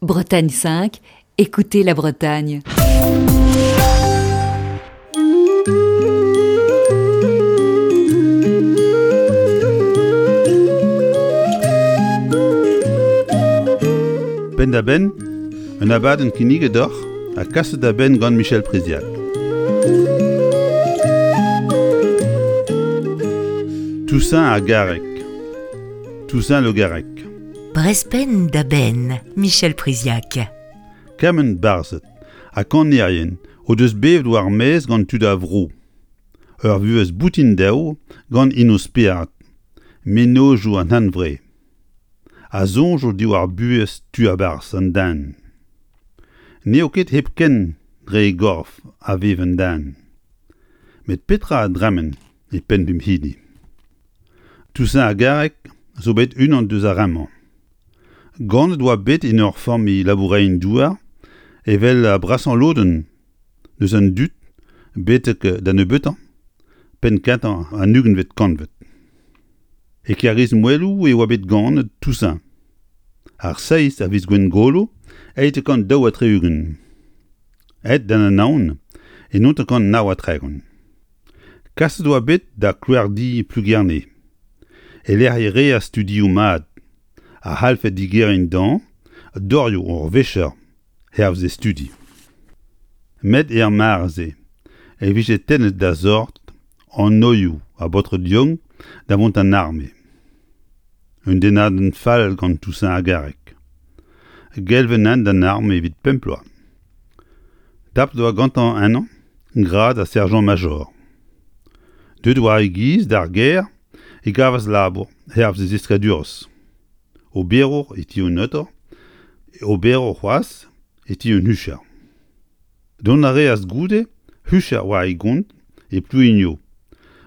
Bretagne 5, écoutez la Bretagne. Penn-da-benn, un abadenn kinniget deoc'h ha kaset da benn gant Michel Priziac. Toussaint ar Garreg. Toussaint Le Garrec. Brezpenn da benn, Michel Priziac. Kement barzhed ha kanerien o deus bevet war maez gant tud a vro. Ur vuhez boutin dezho gant int o spered, mennozhioù an hunvre. Ha soñjoù diwar buhez tu a-barzh an den. N'eo ket hepken dre e gorf a vev an den. Met petra a dremen e penn pep hini? Toussaint ar Garreg zo bet unan deus ar re-mañ. Ganet oa bet en ur familh laboureien-douar evel brasañ lodenn deus an dud betek da nebeutañ penn-kentañ an ugentvet kantved. E Kêr-Izmoueloù e oa bet ganet Toussaint, ar seizh a viz Gwengolo 1862. Aet d'an Anaon e 1939. Kaset oa bet da kloerdi Plougerne, e-lec'h e reas studioù mat a c'hallfe digeriñ dezhañ dorioù ur vicher hervez e studi. Met er mare-se e vije tennet da sort anoioù a baotred yaouank da vont d'an arme. Un dennadenn fall gant Toussaint ar Garreg. Gelvet int d'an arme evit pemp bloaz. Tapet oa gantañ ennañ grad a serjant-major. Deuet war e giz d'ar gêr e gavas labour hervez e zeskadurezh. Oberour e ti un noter, oberour c'hoazh e ti un hucher. Dont a reas goude hucher war e gont e Plouigno,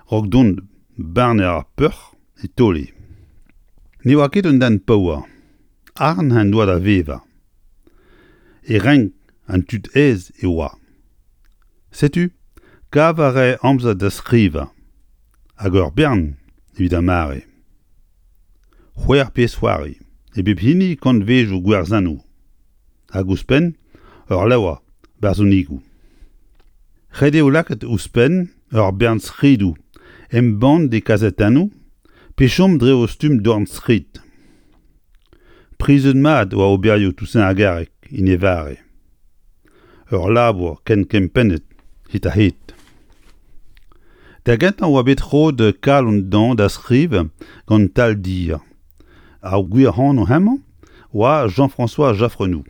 'raok dont barner ar peoc'h e Taole. Ne oa ket un den paour, arc'hant en doa da vevañ. E renk an tud aes e oa. Setu, kav a rae amzer da skrivañ, hag ur bern evit ar mare. C'hwec'h pezh-c'hoari, e bep hini kantvejoù gwerzennoù. Hag ouzhpenn ur levr barzhonigoù. Ret eo lakaat ouzhpenn ur bern skridoù embannet e kazetennoù pe chom dre o stumm dornskrid. Prizet mat oa oberioù Toussaint ar Garreg en e vare. Ur labour ken kempennet hed-ha-hed. Da gentañ oa bet roet kalon dezhañ da skrivañ gant Taldir. Ar gwir anv hemañ oa Jean-François Jaffrenou.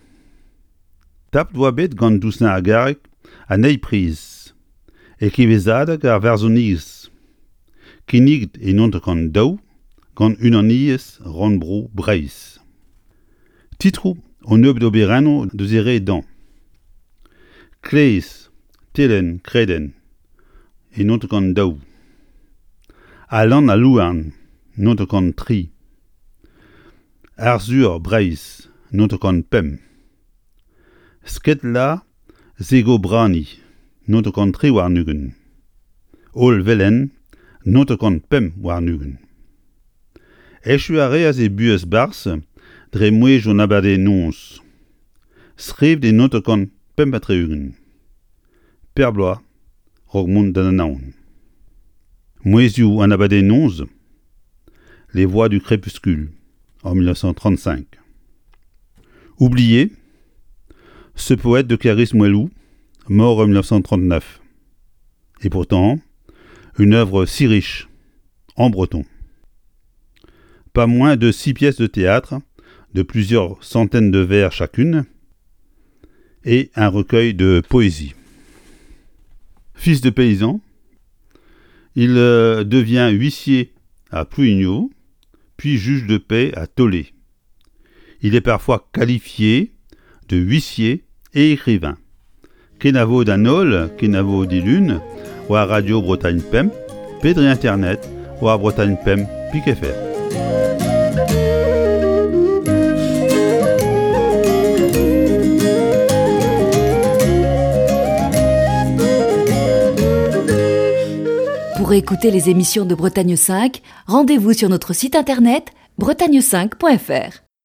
Tapet oa bet gant Toussaint ar Garreg an eil priz e kevezadeg ar varzhoniezh kinniget e 1902 gant Unaniezh Rannvro Breizh. Titroù un nebeud oberennoù deus e re dezhañ. Klez, Telenn, Kredenn e 1902. Alan al Louarn, 1903. Arzhur Breizh, 1905. Sketla Segobrani, 1923. Hollvelen, 1925. Echu a reas e buhez barzh dre mouezhioù an abadenn-noz. Skrivet e 1965. Per bloaz 'raok mont d'an Anaon. Mouezhioù an abadenn-noz, Les Voix du crépuscule, en 1935. Oublié, ce poète de Clarisse Moellou, mort en 1939. Et pourtant, une œuvre si riche, en breton. Pas moins de six pièces de théâtre, de plusieurs centaines de vers chacune, et un recueil de poésie. Fils de paysan, il euh, devient huissier à Plouigneau, puis juge de paix à Tolé. Il est parfois qualifié de huissier et écrivain. Kenavo d'an holl, kenavo dilun, war Radio Bretagne Pemp, pe dre internet war Bretagne Pemp pik fr. Pour écouter les émissions de Bretagne 5, rendez-vous sur notre site internet bretagne5.fr.